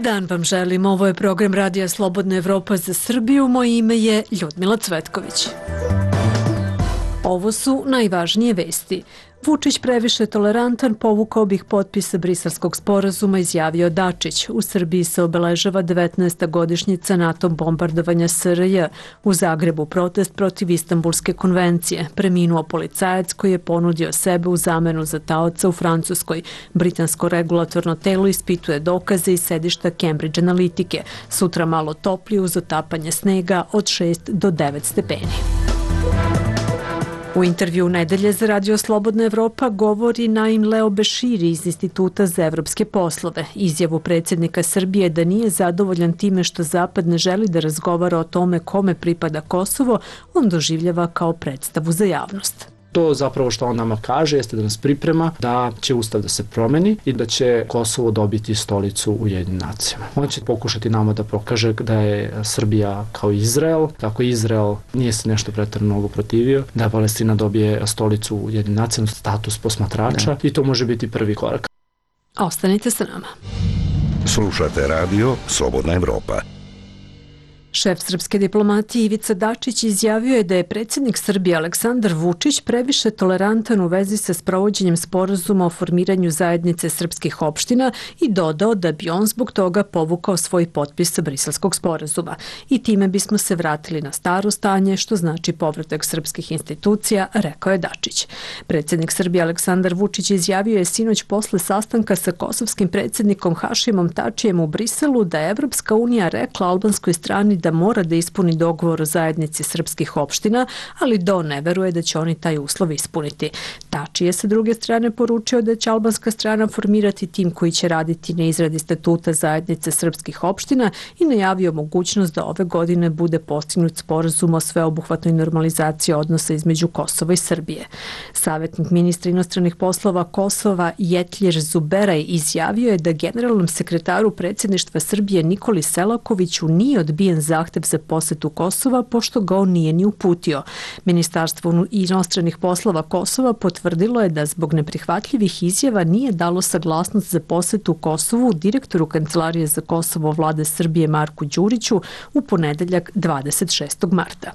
dan vam želim. Ovo je program Radija Slobodna Evropa za Srbiju. Moje ime je Ljudmila Cvetković. Ovo su najvažnije vesti. Vučić previše tolerantan, povukao bih potpise Briselskog sporazuma, izjavio Dačić. U Srbiji se obeležava 19. godišnjica NATO bombardovanja SRJ. U Zagrebu protest protiv Istanbulske konvencije. Preminuo policajac koji je ponudio sebe u zamenu za taoca u Francuskoj. Britansko regulatorno telo ispituje dokaze iz sedišta Cambridge Analitike. Sutra malo toplije uz otapanje snega od 6 do 9 stepeni. U intervju nedelje za Radio Slobodna Evropa govori Naim Leo Beširi iz Instituta za evropske poslove. Izjavu predsjednika Srbije da nije zadovoljan time što Zapad ne želi da razgovara o tome kome pripada Kosovo, on doživljava kao predstavu za javnost. To zapravo što on nama kaže jeste da nas priprema da će ustav da se promeni i da će Kosovo dobiti stolicu u Ujedinjenim nacijama. On će pokušati nama da pokaže da je Srbija kao Izrael, tako Izrael nije se nešto pretjerano mnogo protivio, da Palestina dobije stolicu u Ujedinjenim nacijama, status posmatrača i to može biti prvi korak. Ostanite sa nama. Slušate radio Slobodna Evropa. Šef srpske diplomatije Ivica Dačić izjavio je da je predsjednik Srbije Aleksandar Vučić previše tolerantan u vezi sa sprovođenjem sporazuma o formiranju zajednice srpskih opština i dodao da bi on zbog toga povukao svoj potpis sa Briselskog sporazuma. I time bismo se vratili na staro stanje, što znači povratak srpskih institucija, rekao je Dačić. Predsjednik Srbije Aleksandar Vučić izjavio je sinoć posle sastanka sa kosovskim predsjednikom Hašimom Tačijem u Briselu da je Evropska unija rekla albanskoj strani da mora da ispuni dogovor o zajednici srpskih opština, ali ne veruje da će oni taj uslov ispuniti. Tači je sa druge strane poručio da će albanska strana formirati tim koji će raditi na izradi statuta zajednice srpskih opština i najavio mogućnost da ove godine bude postignut sporazum o sveobuhvatnoj normalizaciji odnosa između Kosova i Srbije. Savjetnik ministra inostranih poslova Kosova Jetljir Zuberaj izjavio je da generalnom sekretaru predsjedništva Srbije Nikoli Selakoviću nije odbijen zahtev za posetu Kosova, pošto ga on nije ni uputio. Ministarstvo inostranih poslova Kosova potvrdilo je da zbog neprihvatljivih izjava nije dalo saglasnost za posetu Kosovu direktoru Kancelarije za Kosovo vlade Srbije Marku Đuriću u ponedeljak 26. marta.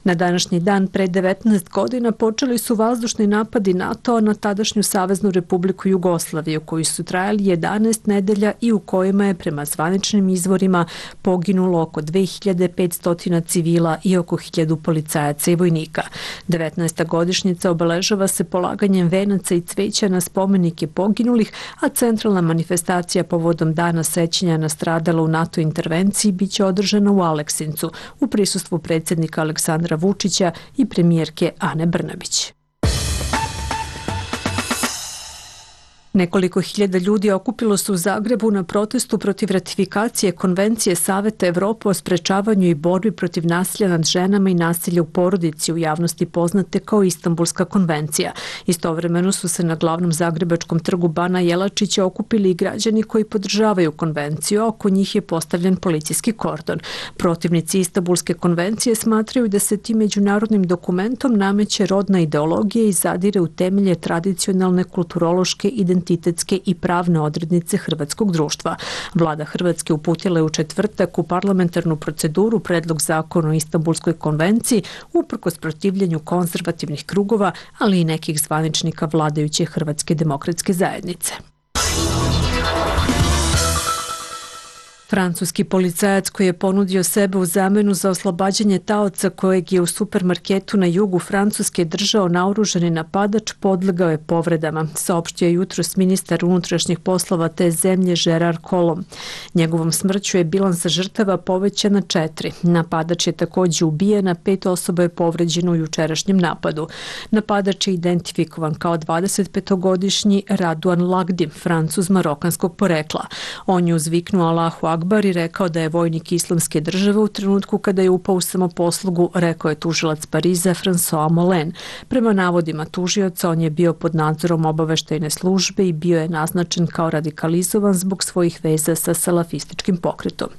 Na današnji dan pre 19 godina počeli su vazdušni napadi NATO na tadašnju Saveznu Republiku Jugoslaviju, koji su trajali 11 nedelja i u kojima je prema zvaničnim izvorima poginulo oko 2500 civila i oko 1000 policajaca i vojnika. 19. godišnjica obeležava se polaganjem venaca i cveća na spomenike poginulih, a centralna manifestacija povodom dana sećanja na stradala u NATO intervenciji biće održana u Aleksincu u prisustvu predsjednika Aleksandra Vučića i premijerke Ane Brnabić. Nekoliko hiljada ljudi okupilo se u Zagrebu na protestu protiv ratifikacije Konvencije Saveta Evrope o sprečavanju i borbi protiv nasilja nad ženama i nasilja u porodici, u javnosti poznate kao Istanbulska konvencija. Istovremeno su se na glavnom zagrebačkom trgu Bana Jelačića okupili i građani koji podržavaju konvenciju, a oko njih je postavljen policijski kordon. Protivnici Istanbulske konvencije smatraju da se tim međunarodnim dokumentom nameće rodna ideologija i zadire u temelje tradicionalne kulturološke identitetske i pravne odrednice hrvatskog društva. Vlada Hrvatske uputila je u četvrtak u parlamentarnu proceduru predlog zakona o Istanbulskoj konvenciji uprkos protivljenju konzervativnih krugova, ali i nekih zvaničnika vladajuće Hrvatske demokratske zajednice. Francuski policajac koji je ponudio sebe u zamenu za oslobađanje taoca kojeg je u supermarketu na jugu Francuske držao naoružani napadač podlegao je povredama, saopštio je jutros ministar unutrašnjih poslova te zemlje Gerard Collomb. Njegovom smrću je bilans žrtava povećan na 4. Napadač je također ubijen, a 5 osoba je povređeno u jučerašnjem napadu. Napadač je identifikovan kao 25-godišnji Radouan Lagdi, Francuz marokanskog porekla. On je uzviknuo Allahu Akbar i rekao da je vojnik Islamske države u trenutku kada je upao u samoposlugu, rekao je tužilac Pariza François Mollen. Prema navodima tužioca, on je bio pod nadzorom obaveštajne službe i bio je naznačen kao radikalizovan zbog svojih veza sa salafističkim pokretom.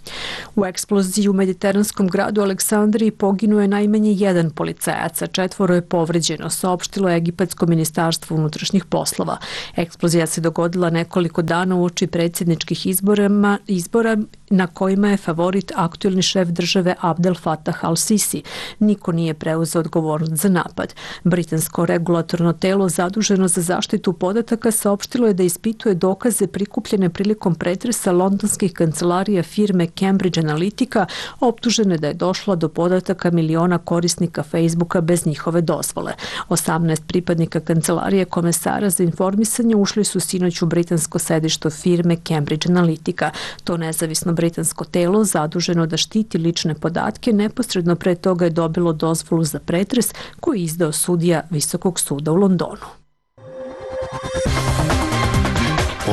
U eksploziji u mediteranskom gradu Aleksandriji poginuo je najmanje jedan policajac, a 4 je povređeno, saopštilo je Egipatsko ministarstvo unutrašnjih poslova. Eksplozija se dogodila nekoliko dana uoči predsjedničkih izbora na kojima je favorit aktuelni šef države Abdel Fattah al-Sisi. Niko nije preuzeo odgovornost za napad. Britansko regulatorno telo zaduženo za zaštitu podataka saopštilo je da ispituje dokaze prikupljene prilikom pretresa londonskih kancelarija firme Cambridge Analytica, optužene da je došlo do podataka miliona korisnika Facebooka bez njihove dozvole. 18 pripadnika kancelarije komesara za informisanje ušli su sinoć u britansko sedište firme Cambridge Analytica. To nezavisno britansko telo zaduženo da štiti lične podatke neposredno pre toga je dobilo dozvolu za pretres koji je izdao sudija Visokog suda u Londonu.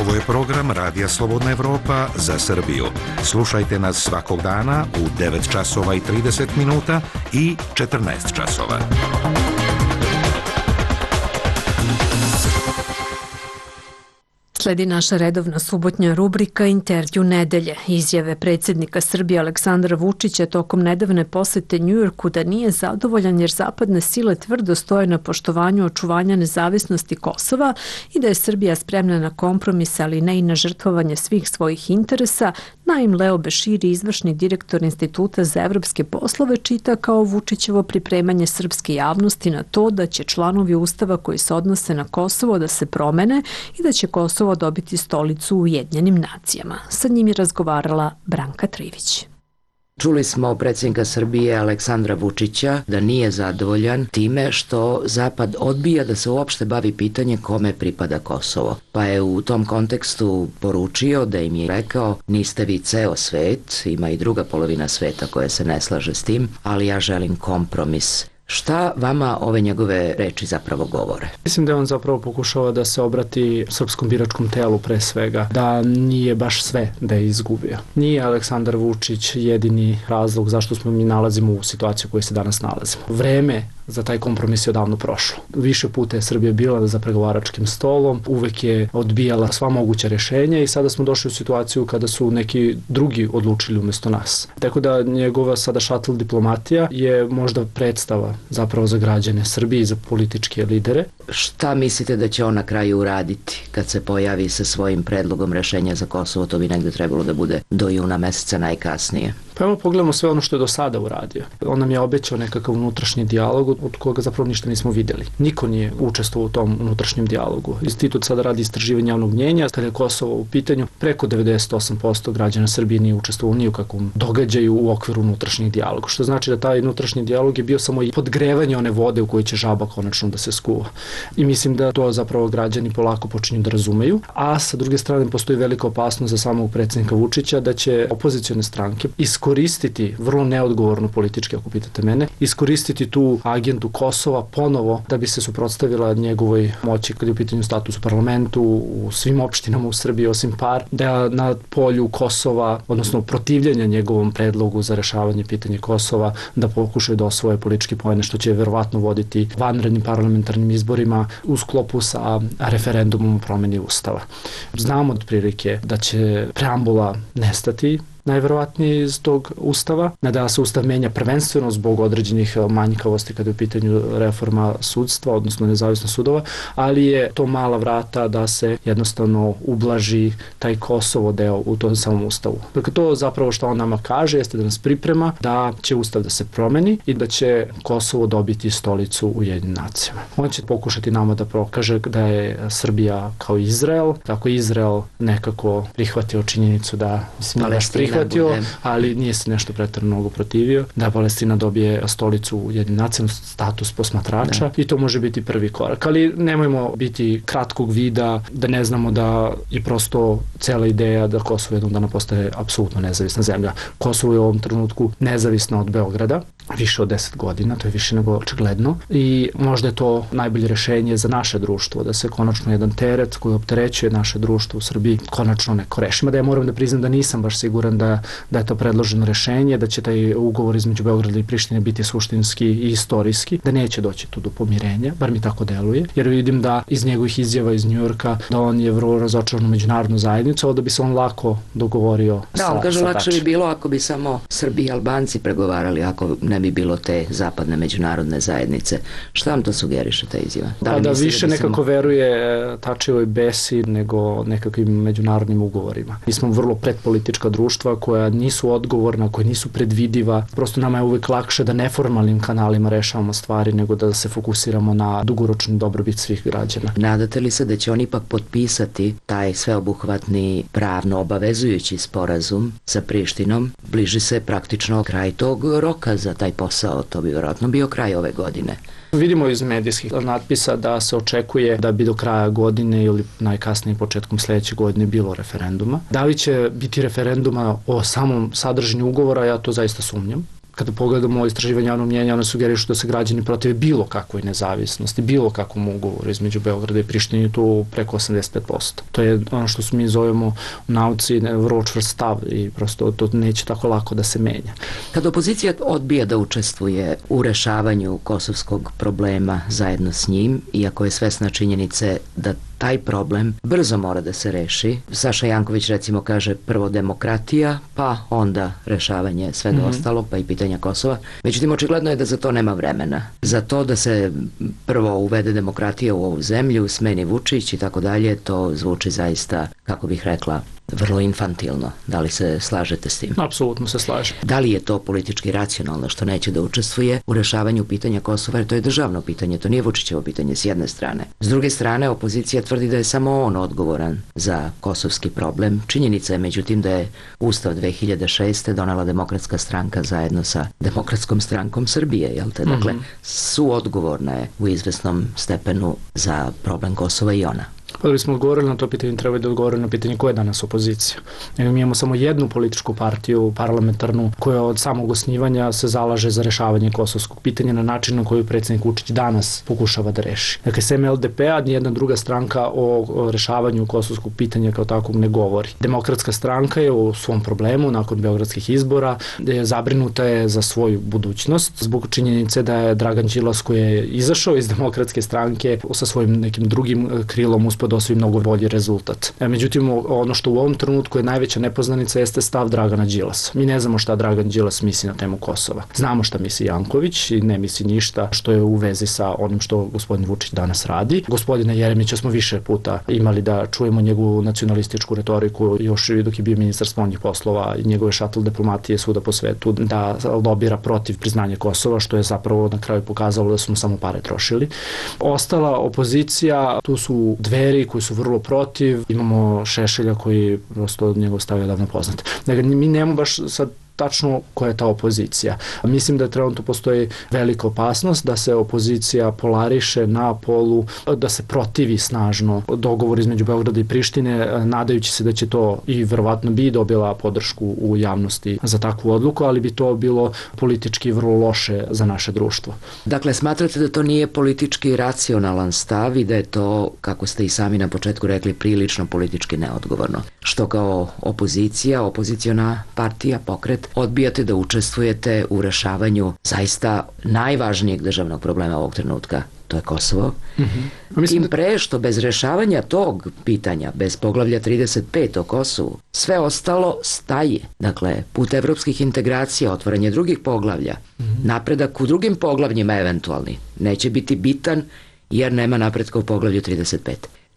Ovo je program Radija Slobodna Evropa za Srbiju. Slušajte nas svakog dana u 9 časova i 30 minuta i 14 časova. Sledi naša redovna subotnja rubrika Intervju nedelje. Izjave predsjednika Srbije Aleksandra Vučića tokom nedavne posete Njujorku da nije zadovoljan jer zapadne sile tvrdo stoje na poštovanju očuvanja nezavisnosti Kosova i da je Srbija spremna na kompromise, ali ne i na žrtvovanje svih svojih interesa, Naim Leo Beširi, izvršni direktor Instituta za evropske poslove, čita kao Vučićevo pripremanje srpske javnosti na to da će članovi Ustava koji se odnose na Kosovo da se promene i da će Kosovo dobiti stolicu u Ujedinjenim nacijama. Sa njim je razgovarala Branka Trivić. Čuli smo predsjednika Srbije Aleksandra Vučića da nije zadovoljan time što Zapad odbija da se uopšte bavi pitanje kome pripada Kosovo. Pa je u tom kontekstu poručio da im je rekao niste vi ceo svet, ima i druga polovina sveta koja se ne slaže s tim, ali ja želim kompromis. Šta vama ove njegove reči zapravo govore? Mislim da on zapravo pokušava da se obrati srpskom biračkom telu pre svega, da nije baš sve da je izgubio. Nije Aleksandar Vučić jedini razlog zašto smo mi nalazimo u situaciji u kojoj se danas nalazimo. Vreme za taj kompromis je odavno prošlo. Više puta je Srbija bila za pregovaračkim stolom, uvek je odbijala sva moguća rješenja i sada smo došli u situaciju kada su neki drugi odlučili umjesto nas. Tako da njegova sada šatl diplomatija je možda predstava zapravo za građane Srbije i za političke lidere. Šta mislite da će on na kraju uraditi kad se pojavi sa svojim predlogom rešenja za Kosovo? To bi negde trebalo da bude do juna meseca najkasnije. Pa evo pogledamo sve ono što je do sada uradio. On nam je obećao nekakav unutrašnji dijalog od koga zapravo ništa nismo vidjeli. Niko nije učestvovao u tom unutrašnjem dijalogu. Institut sada radi istraživanje javnog mnjenja. Kada je Kosovo u pitanju, preko 98% građana Srbije nije učestvovao ni u kakvom događaju u okviru unutrašnjeg dijaloga. Što znači da taj unutrašnji dijalog je bio samo podgrevanje one vode u kojoj će žaba konačno da se skuva. I mislim da to zapravo građani polako počinju da razumeju. A sa druge strane postoji velika opasnost za samog predsjednika Vučića da će opozicione stranke iskoristiti, vrlo neodgovorno politički ako pitate mene, iskoristiti tu agendu Kosova ponovo da bi se suprotstavila njegovoj moći kad je u pitanju status u parlamentu, u svim opštinama u Srbiji osim par, da na polju Kosova, odnosno protivljenja njegovom predlogu za rešavanje pitanja Kosova, da pokušaju da osvoje politički poene, što će verovatno voditi vanrednim parlamentarnim izborima u sklopu sa referendumom o promeni Ustava. Znamo otprilike da će preambula nestati, najverovatnije iz tog Ustava, da se Ustav menja prvenstveno zbog određenih manjkavosti kada je u pitanju reforma sudstva, odnosno nezavisnost sudova, ali je to mala vrata da se jednostavno ublaži taj Kosovo deo u tom samom Ustavu. Dakle, to zapravo što on nama kaže jeste da nas priprema da će Ustav da se promeni i da će Kosovo dobiti stolicu u Ujedinjenim nacijama. On će pokušati nama da prokaže da je Srbija kao Izrael, tako Izrael nekako prihvatio činjenicu da ali nije se nešto pretjerano mnogo protivio, da Palestina dobije stolicu u Ujedinjenim nacijama, status posmatrača i to može biti prvi korak. Ali nemojmo biti kratkog vida, da ne znamo da je prosto cela ideja da Kosovo jednog dana postaje apsolutno nezavisna zemlja. Kosovo je u ovom trenutku nezavisno od Beograda više od 10 godina, to je više nego očigledno i možda je to najbolje rešenje za naše društvo, da se konačno jedan teret koji opterećuje naše društvo u Srbiji konačno neko reši. Mada ja moram da priznam da nisam baš siguran da je to predloženo rešenje, da će taj ugovor između Beograda i Prištine biti suštinski i istorijski, da neće doći tu do pomirenja, bar mi tako deluje, jer vidim da iz njegovih izjava iz Njujorka da on je vrlo razočaran u međunarodnu zajednicu, da bi se on lako dogovorio sa on kaže lakše Tačijem. bi bilo ako bi samo Srbi i Albanci pregovarali, ako ne bi bilo te zapadne međunarodne zajednice. Šta vam to sugeriše ta izjava? Da više nekako veruje Tačijevoj besi nego nekakvim međunarodnim ugovorima. Mi smo vrlo predpolitička društva koja nisu odgovorna, koja nisu predvidiva. Prosto nama je uvek lakše da neformalnim kanalima rešavamo stvari nego da se fokusiramo na dugoročnu dobrobit svih građana. Nadate li se da će on ipak potpisati taj sveobuhvatni pravno obavezujući sporazum sa Prištinom? Bliži se praktično kraj tog roka za taj posao, to bi vjerojatno bio kraj ove godine. Vidimo iz medijskih natpisa da se očekuje da bi do kraja godine ili najkasnije početkom sledeće godine bilo referenduma. Da li će biti referenduma o samom sadržanju ugovora, ja to zaista sumnjam. Kada pogledamo istraživanje javnog mnjenja, one sugerišu da se građani protive bilo kakvoj nezavisnosti, bilo kakvom ugovoru između Beograda i Prištine, tu preko 85%. To je ono što mi zovemo u nauci vrlo čvrst stav i prosto to neće tako lako da se menja. Kad opozicija odbija da učestvuje u rešavanju kosovskog problema zajedno s njim, iako je svesna činjenice da taj problem brzo mora da se reši. Saša Janković recimo kaže prvo demokratija, pa onda rešavanje svega ostalog, pa i pitanja Kosova. Međutim, očigledno je da za to nema vremena. Za to da se prvo uvede demokratija u ovu zemlju, smeni Vučić i tako dalje, to zvuči zaista, kako bih rekla, vrlo infantilno. Da li se slažete s tim? Apsolutno se slažem. Da li je to politički racionalno što neće da učestvuje u rešavanju pitanja Kosova, jer to je državno pitanje, to nije Vučićevo pitanje s jedne strane. S druge strane, opozicija tvrdi da je samo on odgovoran za kosovski problem. Činjenica je međutim da je Ustav 2006. donela Demokratska stranka zajedno sa Demokratskom strankom Srbije, jel te? Dakle, suodgovorna je u izvesnom stepenu za problem Kosova i ona. Pa da bismo odgovorili na to pitanje, treba da odgovorili na pitanje ko je danas opozicija. Mi imamo samo jednu političku partiju parlamentarnu koja od samog osnivanja se zalaže za rešavanje kosovskog pitanja na način na koji predsjednik Vučić danas pokušava da reši. Dakle, sem LDP-a, nijedna druga stranka o rešavanju kosovskog pitanja kao takvog ne govori. Demokratska stranka je u svom problemu nakon beogradskih izbora zabrinuta je za svoju budućnost zbog činjenice da je Dragan Đilas koji je izašao iz Demokratske stranke sa svojim nekim drugim krilom uspeo da osvoji mnogo bolji rezultat. Međutim, ono što u ovom trenutku je najveća nepoznanica jeste stav Dragana Đilasa. Mi ne znamo šta Dragan Đilas misli na temu Kosova. Znamo šta misli Janković i ne misli ništa što je u vezi sa onim što gospodin Vučić danas radi. Gospodina Jeremića smo više puta imali da čujemo njegovu nacionalističku retoriku još dok je bio ministar spoljnih poslova i njegove šatl diplomatije svuda po svetu da lobira protiv priznanja Kosova, što je zapravo na kraju pokazalo da su mu samo pare trošili. Ostala opozicija, tu su Dveri koji su vrlo protiv, imamo Šešelja koji prosto njegov stav je davno poznat. Dakle, mi nemamo baš sad tačno koja je ta opozicija. Mislim da trenutno postoji velika opasnost da se opozicija polariše na polu, da se protivi snažno dogovor između Beograda i Prištine, nadajući se da će to i verovatno bi dobila podršku u javnosti za takvu odluku, ali bi to bilo politički vrlo loše za naše društvo. Dakle, smatrate da to nije politički racionalan stav i da je to, kako ste i sami na početku rekli, prilično politički neodgovorno. Što kao opozicija, opoziciona partija, pokret, odbijate da učestvujete u rešavanju zaista najvažnijeg državnog problema ovog trenutka, to je Kosovo. Tim pre što bez rešavanja tog pitanja, bez poglavlja 35 o Kosovu, sve ostalo staje. Dakle, put evropskih integracija, otvaranje drugih poglavlja, napredak u drugim poglavljima eventualni, neće biti bitan jer nema napretka u poglavlju 35.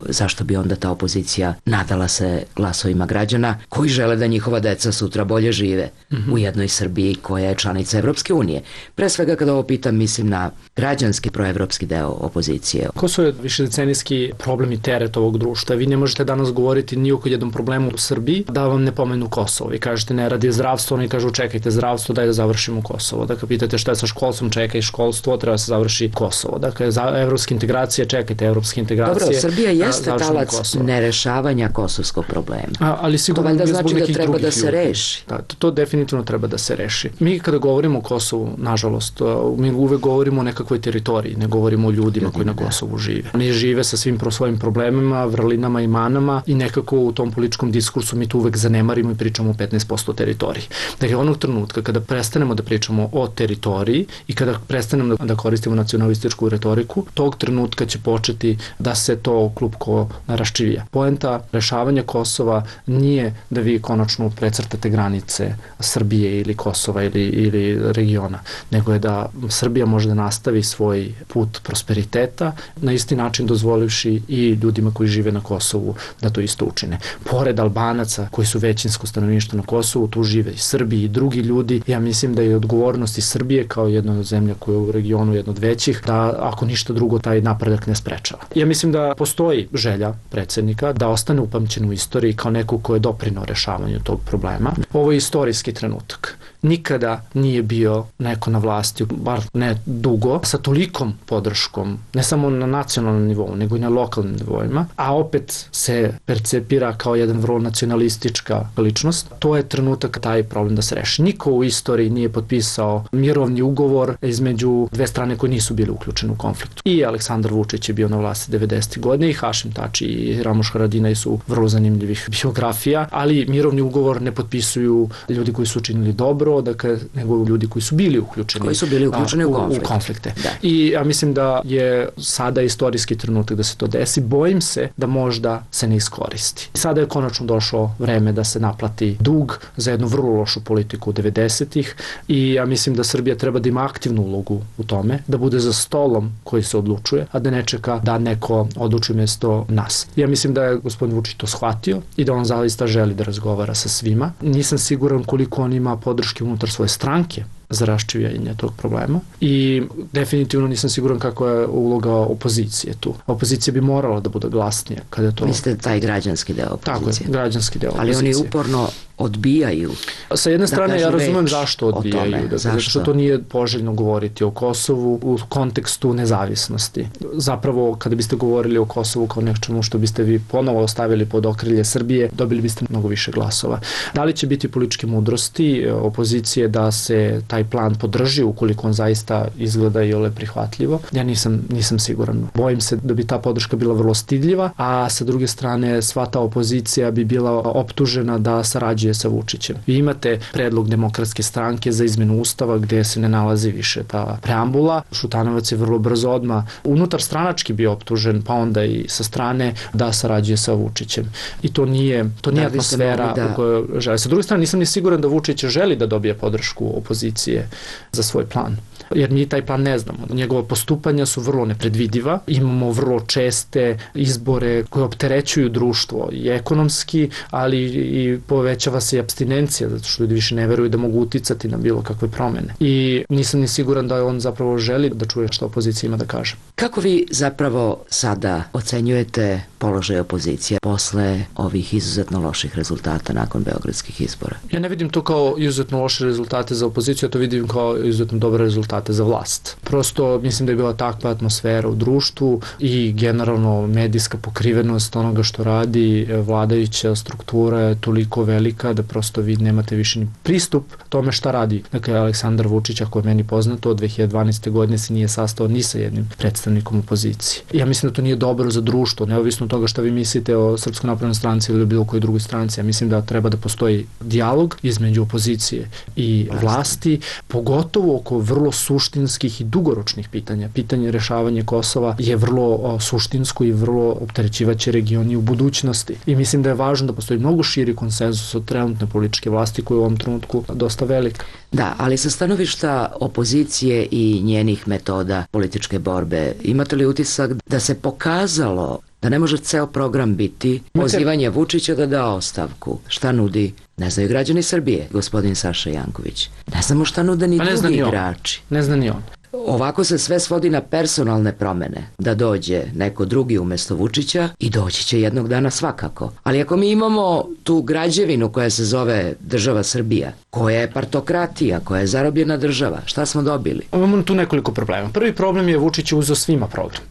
Zašto bi onda ta opozicija nadala se glasovima građana koji žele da njihova deca sutra bolje žive u jednoj Srbiji koja je članica Evropske unije? Pre svega kada ovo pitam, mislim na građanski proevropski deo opozicije. Kosovo je višedecenijski problem i teret ovog društva. Vi ne možete danas govoriti ni o jednom problemu u Srbiji da vam ne pomenu Kosovo. Vi kažete ne radi zdravstvo, oni kažu čekajte zdravstvo, daj da završimo Kosovo. Dakle, pitate šta je sa školstvom, čekaj školstvo, treba se završi Kosovo. Dakle, za evropske integracije, čekajte evropske integracije. Dobro, Srbija jeste talac nerešavanja kosovskog problema. Ali sigurno to valjda znači da treba da se reši. Da, to definitivno treba da se reši. Mi kada govorimo o Kosovu, nažalost, mi uvek govorimo o nekakvoj teritoriji, ne govorimo o ljudima koji na Kosovu žive. Oni žive sa svim svojim problemima, vrlinama i manama i nekako u tom političkom diskursu mi tu uvek zanemarimo i pričamo o 15% teritoriji. Dakle, onog trenutka kada prestanemo da pričamo o teritoriji i kada prestanemo da koristimo nacionalističku retoriku, tog trenutka će početi da se to klupko raščivija. Poenta rešavanja Kosova nije da vi konačno precrtate granice Srbije ili Kosova ili regiona, nego je da Srbija može da nastavi svoj put prosperiteta na isti način dozvolivši i ljudima koji žive na Kosovu da to isto učine. Pored Albanaca koji su većinsko stanovništvo na Kosovu, tu žive i Srbi i drugi ljudi. Ja mislim da je odgovornost i Srbije kao jedna od zemlja koja je u regionu jedna od većih, da ako ništa drugo taj napredak ne sprečava. Ja mislim da postoji želja predsjednika da ostane upamćen u istoriji kao neko ko je doprinao rešavanju tog problema. Ovo je istorijski trenutak. Nikada nije bio neko na vlasti, bar ne dugo, sa tolikom podrškom, ne samo na nacionalnom nivou, nego i na lokalnim nivoima, a opet se percepira kao jedan vrlo nacionalistička ličnost. To je trenutak taj problem da se reši. Niko u istoriji nije potpisao mirovni ugovor između dve strane koje nisu bile uključene u konfliktu. I Aleksandar Vučić je bio na vlasti 90. godine i Hašim Tači i Ramuš Haradinaj su vrlo zanimljivih biografija, ali mirovni ugovor ne potpisuju ljudi koji su učinili dobro, dakle, nego ljudi koji su bili uključeni, u konflikte. Da. I ja mislim da je sada istorijski trenutak da se to desi. Bojim se da možda se ne iskoristi. Sada je konačno došlo vreme da se naplati dug za jednu vrlo lošu politiku 90-ih i ja mislim da Srbija treba da ima aktivnu ulogu u tome, da bude za stolom koji se odlučuje, a da ne čeka da neko odluči mjesto nas. Ja mislim da je gospodin Vučić to shvatio i da on zaista želi da razgovara sa svima. Nisam siguran koliko on ima podrške unutar svoje stranke za raščivljanje tog problema i definitivno nisam siguran kako je uloga opozicije tu. Opozicija bi morala da bude glasnija kada je to... Mislite taj građanski deo opozicije? Tako je, građanski deo opozicije. Ali oni uporno odbijaju. Sa jedne strane ja razumem zašto odbijaju. Zato što to nije poželjno govoriti o Kosovu u kontekstu nezavisnosti. Zapravo, kada biste govorili o Kosovu kao nečemu što biste vi ponovo ostavili pod okrilje Srbije, dobili biste mnogo više glasova. Da li će biti političke mudrosti opozicije da se taj plan podrži ukoliko on zaista izgleda i ole prihvatljivo? Ja nisam siguran. Bojim se da bi ta podrška bila vrlo stidljiva, a sa druge strane sva ta opozicija bi bila optužena da sarađuje sa Vučićem. Vi imate predlog Demokratske stranke za izmenu ustava gde se ne nalazi više ta preambula. Šutanovac je vrlo brzo odmah unutar stranački bio optužen, pa onda i sa strane da sarađuje sa Vučićem. I to nije atmosfera u kojoj želi. Sa druge strane, nisam ni siguran da Vučić želi da dobije podršku opozicije za svoj plan. Jer mi taj plan ne znamo. Njegova postupanja su vrlo nepredvidiva. Imamo vrlo česte izbore koje opterećuju društvo i ekonomski, ali i povećava se i apstinencija, zato što ljudi više ne veruju da mogu uticati na bilo kakve promene. I nisam ni siguran da on zapravo želi da čuje što opozicija ima da kaže. Kako vi zapravo sada ocenjujete položaj opozicije posle ovih izuzetno loših rezultata nakon beogradskih izbora? Ja ne vidim to kao izuzetno loše rezultate za opoziciju, ja to vidim kao izuzetno dobre rezultate za vlast. Prosto mislim da je bila takva atmosfera u društvu i generalno medijska pokrivenost onoga što radi vladajuća struktura je toliko velika da prosto vi nemate više ni pristup tome šta radi. Dakle, Aleksandar Vučić, ako je meni poznato, od 2012. godine se nije sastao ni sa jednim predstavnikom opozicije. Ja mislim da to nije dobro za društvo, neovisno od toga šta vi mislite o Srpskoj naprednoj stranci ili bilo kojoj drugoj stranci. Ja mislim da treba da postoji dijalog između opozicije i vlasti, pogotovo oko vrlo suštinskih i dugoročnih pitanja. Pitanje rešavanja Kosova je vrlo suštinsko i vrlo opterećivaće regioni u budućnosti. I mislim da je važno da postoji mnogo širi konsenzus od trenutne političke vlasti koja je u ovom trenutku dosta velika. Da, ali sa stanovišta opozicije i njenih metoda političke borbe, imate li utisak da se pokazalo da ne može ceo program biti pozivanje Vučića da da ostavku? Šta nudi? Ne znaju građani Srbije, gospodin Saša Janković. Ne znamo šta nude ni drugi igrači. Ne zna ni on. Ovako se sve svodi na personalne promene, da dođe neko drugi umesto Vučića i doći će jednog dana svakako. Ali ako mi imamo tu građevinu koja se zove država Srbija, koja je partokratija, koja je zarobljena država, šta smo dobili? Imamo tu nekoliko problema. Prvi problem je Vučić uzeo svima program.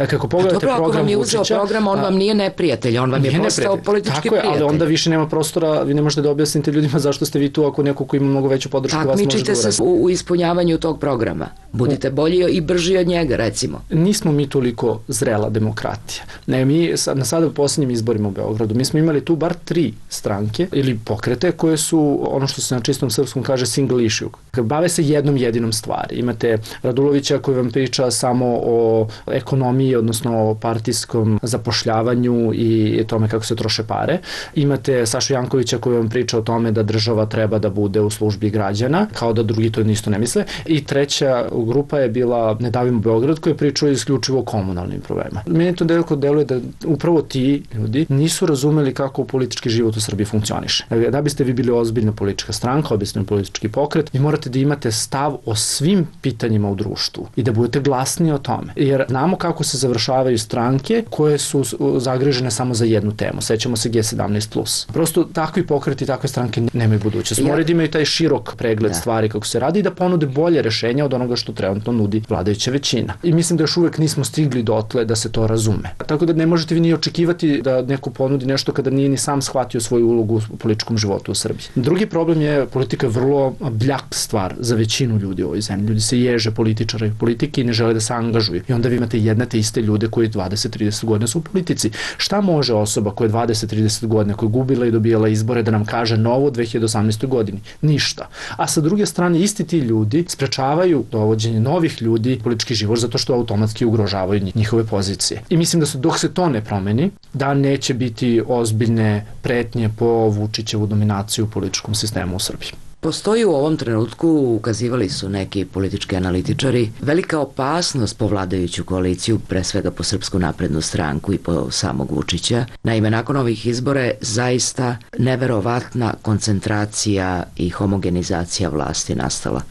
Kako pogledate program Vučića... Ako vam je uzeo program, on vam nije neprijatelj, on vam je postao politički prijatelj. Ali onda više nema prostora, vi ne možete da objasnite ljudima zašto ste vi tu ako neko ko ima mnogo veću podršku vas može da uradi. Takmičite se u ispunjavanju tog programa. Budite bolji i brži od njega, recimo. Nismo mi toliko zrela demokratija. Ne, mi sada u posljednjim izborima u Beogradu, mi smo imali tu bar 3 stranke ili pokrete koje su, ono što se na čistom srpskom kaže single issue. Bave se jednom jedinom stvari. Imate Radulovića koji vam priča samo o ekonomiji, odnosno o partijskom zapošljavanju i tome kako se troše pare. Imate Sašu Jankovića koji vam priča o tome da država treba da bude u službi građana, kao da drugi to isto ne misle. I treća grupa je bila Ne davimo Beograd koja je pričala isključivo o komunalnim problemima. Meni to deluje da upravo ti ljudi nisu razumeli kako politički život u Srbiji funkcioniše. Da biste vi bili ozbiljna politička stranka, ozbiljni politički pokret, vi morate da imate stav o svim pitanjima u društvu i da budete glasni o tome. Jer znamo kako se završavaju stranke koje su zagrižene samo za jednu temu. Sećamo se G17+. Prosto takvi pokreti, takve stranke nemaju budućnost. Moraju da imaju taj širok pregled stvari kako se radi i da ponude bolje rešenja od onoga što trenutno nudi vladajuća većina. I mislim da još uvek nismo stigli dotle da se to razume. Tako da ne možete vi ni očekivati da neko ponudi nešto kada nije ni sam shvatio svoju ulogu u političkom životu u Srbiji. Drugi problem je politika je vrlo bljak stvar za većinu ljudi u ovoj zemlji. Ljudi se ježe političara i politike i ne žele da se angažuju. I onda vi imate jedne te iste ljude koji 20-30 godina su u politici. Šta može osoba koja je 20-30 godina, koja je gubila i dobijala izbore da nam kaže novo u 2018. godini? Ništa. A sa druge strane, isti ti ljudi sprečavaju dovođenje novih ljudi u politički život zato što automatski ugrožavaju njihove pozicije. I mislim da dok se to ne promeni, da neće biti ozbiljne pretnje po Vučićevu dominaciju u političkom sistemu u Srbiji. Postoji u ovom trenutku, ukazivali su neki politički analitičari, velika opasnost po vladajuću koaliciju, pre svega po Srpsku naprednu stranku i po samog Vučića. Naime, nakon ovih izbora je zaista neverovatna koncentracija i homogenizacija vlasti nastala.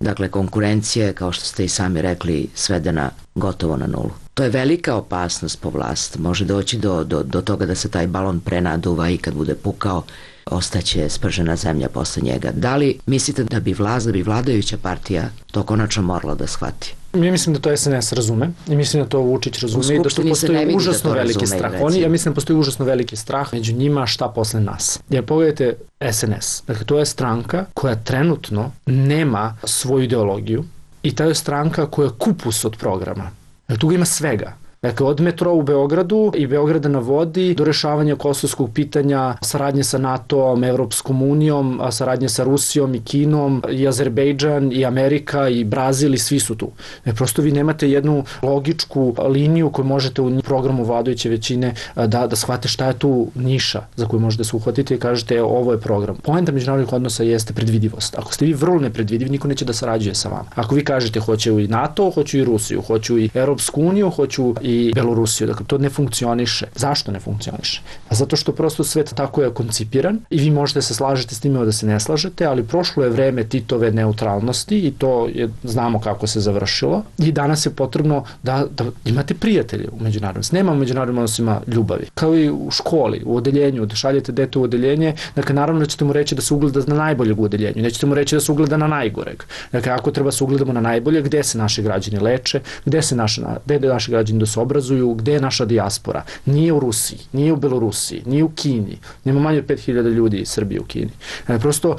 Dakle, konkurencija je, kao što ste i sami rekli, svedena gotovo na nulu. To je velika opasnost po vlast. Može doći do toga da se taj balon prenaduva i kad bude pukao, ostaće spržena zemlja posle njega. Da li mislite da bi vladajuća partija to konačno morala da shvati? Ja mislim da to SNS razume i mislim da to Vučić razume i da to postoji užasno veliki strah. Ja mislim da postoji užasno veliki strah među njima šta posle nas. Jer pogledajte SNS. Dakle, to je stranka koja trenutno nema svoju ideologiju i ta je stranka koja je kupus od programa. Tu ga ima svega. Dakle, od metroa u Beogradu i Beograda na vodi do rešavanja kosovskog pitanja, saradnje sa NATO-om, Evropskom unijom, saradnje sa Rusijom i Kinom i Azerbejdžan i Amerika i Brazil i svi su tu. Prosto vi nemate jednu logičku liniju koju možete u programu vladajuće većine da shvate šta je tu niša za koju možete se uhvatiti i kažete ovo je program. Poenta međunarodnih odnosa jeste predvidivost. Ako ste vi vrlo nepredvidivi, niko neće da sarađuje sa vama. Ako vi kažete hoću i NATO, hoću i Rusiju, hoću i Evropsku uniju, hoću i Belorusiju. Dakle, to ne funkcioniše. Zašto ne funkcioniše? Zato što prosto svet tako je koncipiran i vi možete se slažete s time da se ne slažete, ali prošlo je vreme Titove neutralnosti i to znamo kako se završilo i danas je potrebno da imate prijatelje u međunarodnom. Nema u međunarodnim odnosima ljubavi. Kao i u školi, u odeljenju, da šaljete dete u odeljenje, dakle, naravno da ćete mu reći da se ugleda na najboljeg u odeljenju, nećete mu reći da se ugleda na najgoreg. Dakle, ako treba se ugledamo na najbolje, gde se naši građani leče, gde naši građani da se obrazuju, gde je naša dijaspora. Nije u Rusiji, nije u Belorusiji, nije u Kini. Nema manje od 5000 ljudi iz Srbije u Kini. Prosto,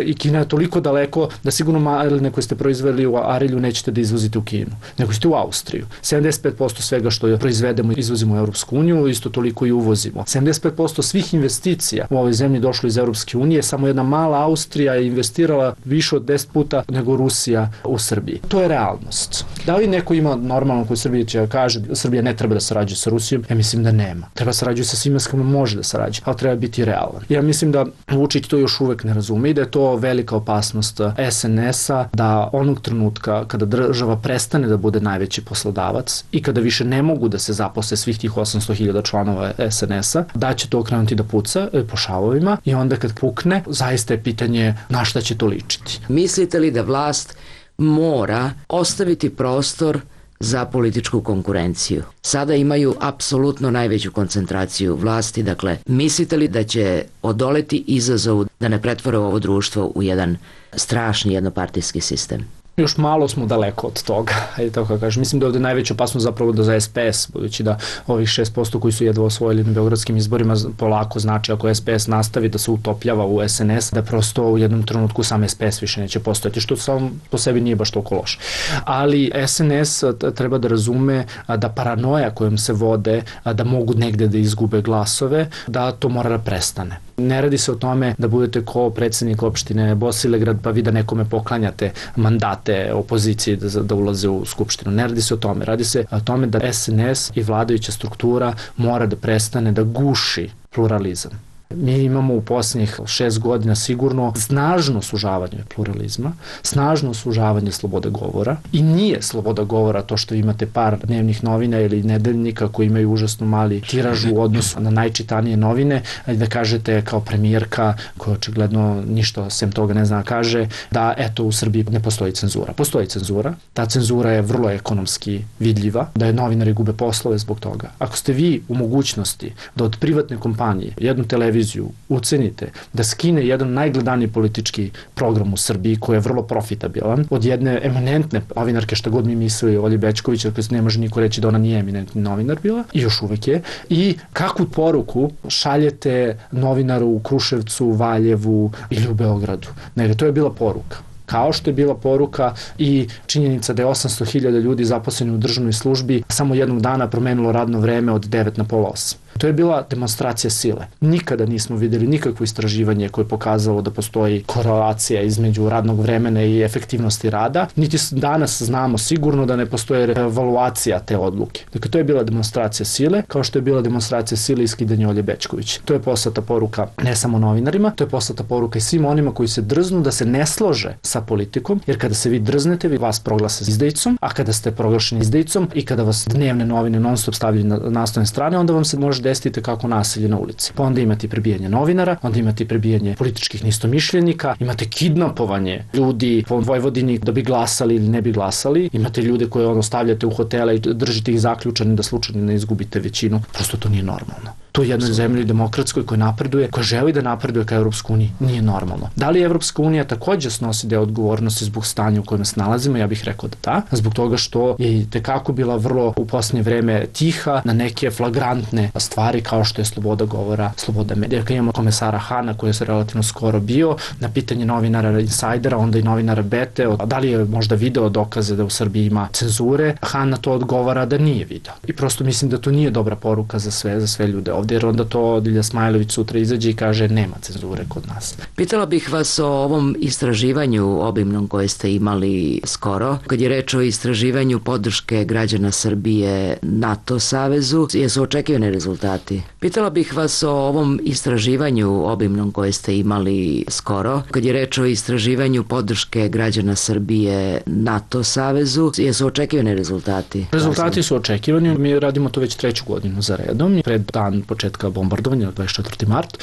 i Kina je toliko daleko da sigurno maline koje ste proizveli u Arilju nećete da izvozite u Kinu, nego ćete u Austriju. 75% svega što proizvedemo izvozimo u Evropsku uniju, isto toliko i uvozimo. 75% svih investicija u ovoj zemlji došlo iz Evropske unije, samo jedna mala Austrija je investirala više od 10 puta nego Rusija u Srbiji. To je realnost. Da li neko ima normalno koji Srbije će kaže Srbija ne treba da sarađuje sa Rusijom, ja mislim da nema. Treba sarađuje sa svima s kojima može da sarađuje, ali treba biti realan. Ja mislim da Vučić to još uvek ne razume i da je to velika opasnost SNS-a, da onog trenutka kada država prestane da bude najveći poslodavac i kada više ne mogu da se zaposle svih tih 800.000 članova SNS-a, da će to krenuti da puca po šavovima i onda kad pukne, zaista je pitanje na šta će to ličiti. Mislite li da vlast mora ostaviti prostor za političku konkurenciju? Sada imaju apsolutno najveću koncentraciju vlasti, dakle, mislite li da će odoleti izazovu da ne pretvore ovo društvo u jedan strašni jednopartijski sistem? Još malo smo daleko od toga, ajde tako kažem. Mislim da je ovde najveća opasnost zapravo da za SPS, budući da ovih 6% koji su jedva osvojili na beogradskim izborima polako znači ako SPS nastavi da se utopljava u SNS, da prosto u jednom trenutku sam SPS više neće postojati, što sam po sebi nije baš toliko loše. Ali SNS treba da razume da paranoja kojom se vode, da mogu negde da izgube glasove, da to mora da prestane. Ne radi se o tome da budete ko predsednik opštine Bosilegrad pa vi da nekome poklanjate mandate opoziciji da ulaze u skupštinu. Ne radi se o tome. Radi se o tome da SNS i vladajuća struktura mora da prestane da guši pluralizam. Mi imamo u posljednjih 6 godina sigurno snažno sužavanje pluralizma, snažno sužavanje slobode govora i nije sloboda govora to što imate par dnevnih novina ili nedeljnika koji imaju užasno mali tiraž u odnosu na najčitanije novine, da kažete kao premijerka koja očigledno ništa sem toga ne zna kaže da eto u Srbiji ne postoji cenzura. Postoji cenzura, ta cenzura je vrlo ekonomski vidljiva, da je novinari gube poslove zbog toga. Ako ste vi u mogućnosti da od privatne kompanije jednu televiziju ucenite da skine jedan najgledaniji politički program u Srbiji koji je vrlo profitabilan od jedne eminentne novinarke, šta god mi mislili Olji Bećković, jer ne može niko reći da ona nije eminentni novinar bila i još uvek je, i kakvu poruku šaljete novinaru u Kruševcu, Valjevu ili u Beogradu. Nego to je bila poruka. Kao što je bila poruka i činjenica da je 800.000 ljudi zaposleni u državnoj službi samo jednog dana promenilo radno vreme od 9 na pola 8. To je bila demonstracija sile. Nikada nismo videli nikakvo istraživanje koje je pokazalo da postoji korelacija između radnog vremena i efektivnosti rada, niti danas znamo sigurno da ne postoje evaluacija te odluke. Dakle, to je bila demonstracija sile, kao što je bila demonstracija sile i skidanje Olje Bećković. To je poslata poruka ne samo novinarima, to je poslata poruka i svim onima koji se drznu da se ne slože sa politikom, jer kada se vi drznete, vi vas proglase izdajicom, a kada ste proglašeni izdajicom i kada vas dnevne novine non stop stavljaju na naslovne strane, onda vam se može desiti kako nasilje na ulici. Pa onda imate prebijanje novinara, onda imate prebijanje političkih neistomišljenika, imate kidnapovanje ljudi po Vojvodini da bi glasali ili ne bi glasali, imate ljude koje stavljate u hotele i držite ih zaključani da slučajno ne izgubite većinu. Prosto to nije normalno. To je jednoj zemlji demokratskoj koja napreduje, koja želi da napreduje ka Evropsku uniji, nije normalno. Da li Evropska unija takođe snosi deo odgovornosti zbog stanja u kojem se nalazimo? Ja bih rekao da da, zbog toga što je i tekako bila vrlo u posljednje vreme tiha na neke flagrantne stvari kao što je sloboda govora, sloboda medija. Kad imamo komesara Hana koji je relativno skoro bio, na pitanje novinara Insajdera, onda i novinara Bete, da li je možda video dokaze da u Srbiji ima cenzure, Han na to odgovara da nije video. I prosto mislim da to nije dobra poruka za sve ljude ovde, jer onda to Dilja Smajlović sutra izađe i kaže nema cenzure kod nas. Pitala bih vas o ovom istraživanju obimnom koje ste imali skoro. Kad je reč o istraživanju podrške građana Srbije NATO savezu, jesu očekivani rezultati? Pitala bih vas o ovom istraživanju obimnom koje ste imali skoro. Kad je reč o istraživanju podrške građana Srbije NATO savezu, jesu očekivani rezultati? Rezultati su očekivani. Mi radimo to već 3. godinu za redom. Pred dan početka bombardovanja, 24. mart,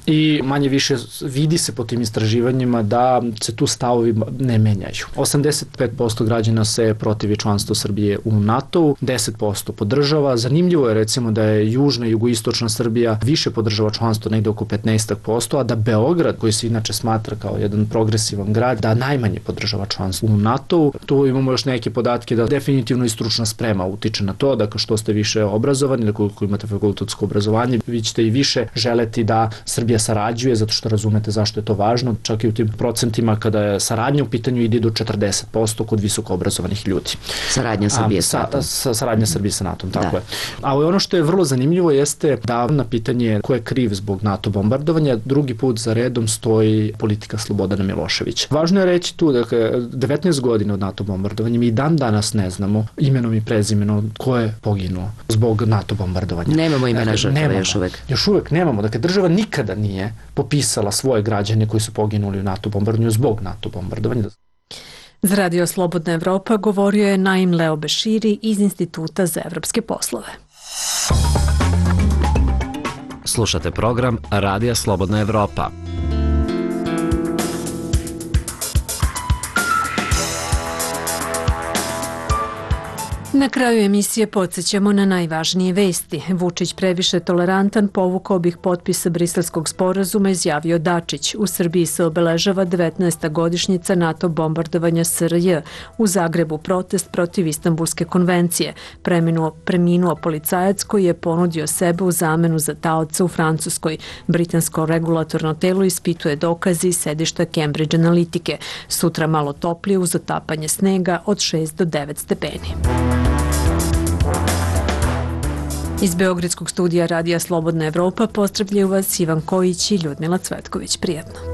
i manje više vidi se po tim istraživanjima da se tu stavovi ne menjaju. 85% građana se protivi članstvu Srbije u NATO-u, 10% podržava. Zanimljivo je recimo da je južna i jugoistočna Srbija više podržava članstvo, negde oko 15%, a da Beograd, koji se inače smatra kao jedan progresivan grad, da najmanje podržava članstvo u NATO-u. Tu imamo još neke podatke da definitivno i stručna sprema utiče na to, dakle što ste više obrazovani, ili koliko imate fakultetsko obrazovanje, vi ćete i više želeti da Srbija sarađuje, zato što razumete zašto je to važno. Čak i u tim procentima kada je saradnja u pitanju ide do 40% kod visoko obrazovanih ljudi. Saradnja Srbije sa NATO. Saradnja Srbije sa NATO, tako je. A ono što je vrlo zanimljivo jeste da na pitanje ko je kriv zbog NATO bombardovanja, drugi put za redom stoji politika Slobodana Miloševića. Važno je reći tu, dakle, 19 godina od NATO bombardovanja, mi dan danas ne znamo imenom i prezimenom ko je poginuo zbog NATO bombardovanja. Nemamo imena žrtava još uvek. Još uvek nemamo. Dakle, država nikada nije popisala svoje građane koji su poginuli u NATO bombardovanju zbog NATO bombardovanja. Za Radio Slobodna Evropa govorio je Naim Leo Beširi iz Instituta za evropske poslove. Slušate program Radija Slobodna Evropa. Na kraju emisije podsjećamo na najvažnije vesti. Vučić previše tolerantan, povukao bih potpise Briselskog sporazuma, izjavio Dačić. U Srbiji se obeležava 19. godišnjica NATO bombardovanja SRJ. U Zagrebu protest protiv Istanbulske konvencije. Preminuo policajac koji je ponudio sebe u zamenu za taoca u Francuskoj. Britansko regulatorno telo ispituje dokazi iz sedišta Cambridge Analitike. Sutra malo toplije uz otapanje snega od 6 do 9 stepeni. Iz Beogradskog studija Radija Slobodna Evropa pozdravljaju vas Ivan Kojić i Ljudmila Cvetković. Prijetno.